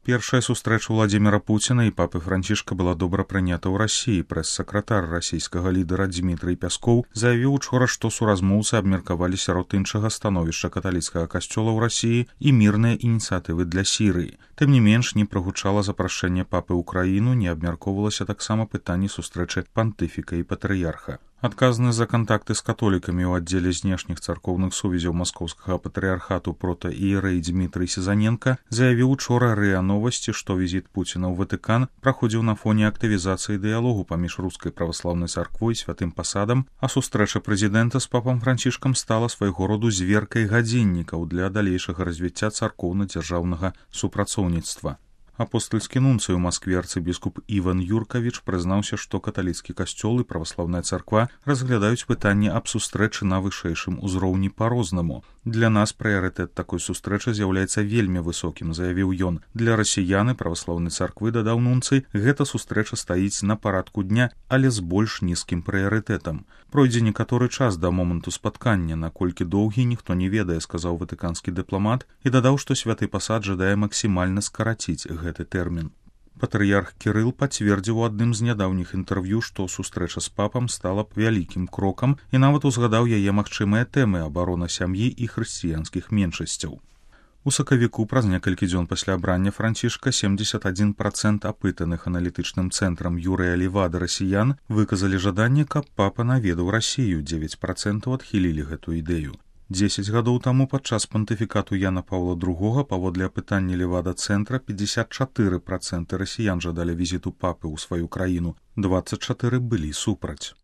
Першая сустрэча Владимира Путина і папы Францішка была добра прынята ў Расіі. Прэс-сакратар расійскага лідара Дмітрый Пяскоў заявіў учора, што суразмоўцы абмеркавалі сярод іншага становішча каталіцкага касцёла ў Расіі і мірныя ініцыятывы для Сірыі. Тым не менш, не прагучала запрашэнне папы ў краіну, не абмяркоўвалася таксама пытанне сустрэчы пантыфіка і патрыярха. Адказны за кантакты з католікамі ў аддзеле знешніх царкоўных сувязяў маскоўскага патрыярхату протаіерэй Дмітрый Сезаненка заявіў учора РИА Новости, што візіт Пуціна ў Ватыкан праходзіў на фоне актывізацыі дыялогу паміж рускай праваслаўнай царквой і святым пасадам, а сустрэча прэзідэнта з папам Францішкам стала свайго роду зверкай гадзіннікаў для далейшага развіцця царкоўна-дзяржаўнага супрацоўніцтва. Апостальскі нунцый у Маскве арцыбіскуп Іван Юркавіч прызнаўся, што каталіцкі касцёл і праваслаўная царква разглядаюць пытанне аб сустрэчы на вышэйшым узроўні па-рознаму. Для нас прыярытэт такой сустрэчы з'яўляецца вельмі высокім, заявіў ён. Для расіян і праваслаўнай царквы, дадаў нунцый, гэта сустрэча стаіць на парадку дня, але з больш нізкім прыярытэтам. Пройдзе некаторы час да моманту спаткання, наколькі доўгі ніхто не ведае, сказаў ватыканскі дыпламат і дадаў, што святы пасад жадае максімальна скараціць гэты тэрмін. Патрыярх Кірыл пацвердзіў у адным з нядаўніх інтэрв'ю, што сустрэча з папам стала б вялікім крокам і нават узгадаў яе магчымыя тэмы абарона сям'і і хрысціянскіх меншасцяў. У сакавіку праз некалькі дзён пасля абрання Францішка 71% апытаных аналітычным цэнтрам Юрыя Левада расіян выказалі жаданне, каб папа наведаў Расію, 9% адхілілі гэту ідэю. 10 гадоў таму падчас пантыфікату Яна Паўла II паводле апытання Левада-цэнтра 54% расіян жадалі візіту папы ў сваю краіну, 24% былі супраць.